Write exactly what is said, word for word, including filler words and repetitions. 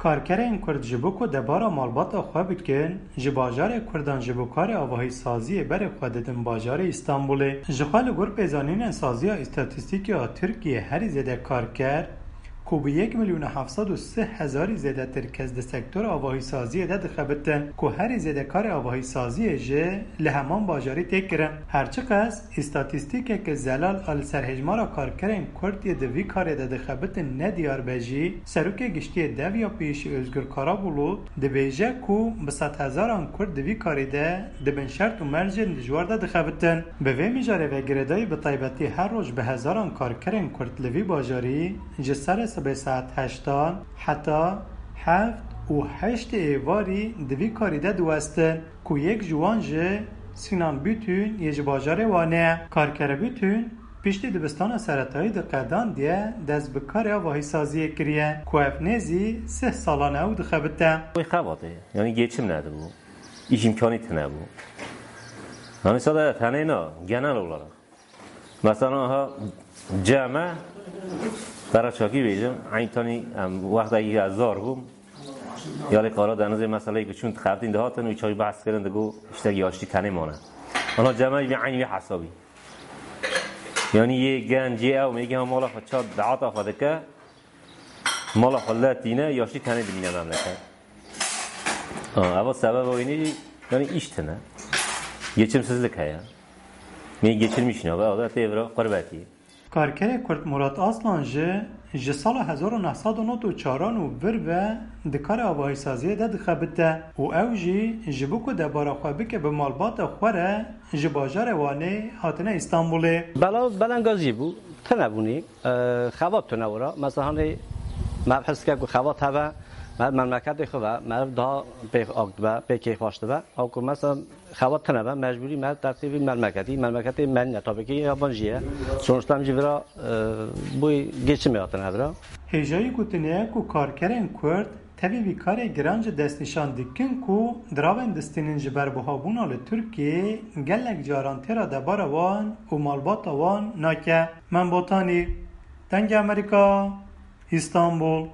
Karkerên Kurd ji bo ku debara malbata xwe bikin, ji bajarê Kurdan ji bo karê avahîsaziyê berê xwe didin bajarê Îstanbulê. Ji xwe li gor pêzanînên Saziya Îstatîstîkê ya Tirkiyê herî zêde karker, ku bi yek milyon heft sed û sî hezarî zêdetir kes di sektora avahîsaziyê de dixebitin, ku herî zêde karê avahîsaziyê jî li heman bajarî tê kirin. Her çiqas îstatîstîkeke zelal a li ser hejmara karkerên Kurd yê di vî karê de dixebitin nediyar be jî, Serokê Giştî yê DEV ya pêşî Ozgur Karabulut dibêje ku bi sedhezaran Kurd di vî karê de di bin şert û mercên dijwar de dixebitin. Bi vê mijarê ve girêdayî bi taybetî her roj bi hezaran karkerên Kurd li vî bajarî ji serê sibê saet heştan heta heft û heştê êvarî di vî karî de diwestin, ku yek ji wan jî Sinan Butün yê ji bajarê Wanê ye. Karkere Butün piştî dibistana seretayî di Qedandiye dest bi karê avahîsaziyê kiriye, ku ev nêzî sih salan e ew dixebite. Wê xebatê, yanî geçim nedibû, îş îmkanî tune bû. Yanî sade tenê na, genel olarak. Mesela ha ceme, bera çakî bêjim, eyn tanî em wextekî ez zar bûm, ya lê Karadenizê meseleyê ku çûn dixebitîn dihatin û çaxî behs kirin digo îşte yaştî tenê mane. Ana ceme jî eyn wî hesabî. Yanî yê genc, yê ew mêgî ha mala xwe ça daata xwe dike, mala xwe le tîne, yaştî tenê dimîne memleket. Ha, eva sebeba wînî jî, yanî îş tine. Geçimsizlik heye. Mêgî geçirmiş nabe, ew de tê vira qurbetî. Karkerê Kurd Murat Aslan jî ji sala hezar û neh sed û nod û çaran û vir ve di karê avahîsaziyê de dixebite û ew jî ji bo ku debara xwe bike bi malbata xwe re ji bajarê Wanê hatine Îstanbulê. Belav belengazî bû, tune bûnî, e, xebat tune wira. Mesela hanê me his ke ku xebat hebe, me memleketê xwe ve, me daha pê ak dibe, pê kêfxweş dibe. Ew ku mesela xebat tune be, mecbûrî me tertîbî memleketî, memleketê me nîne, tabii ki yabancî ye. Sonuçta em jî vira, e, bûyî geçimê hatine vira. Hêjayî gotinê ye ku karkerên Kurd tevî vî karê giran jî destnîşan dikin ku diravên distînin ji ber buhabûna li Tirkiyê gelek caran têra debara wan û malbata wan nake. Mem Botanî, Dengê Amerîka, Îstanbul.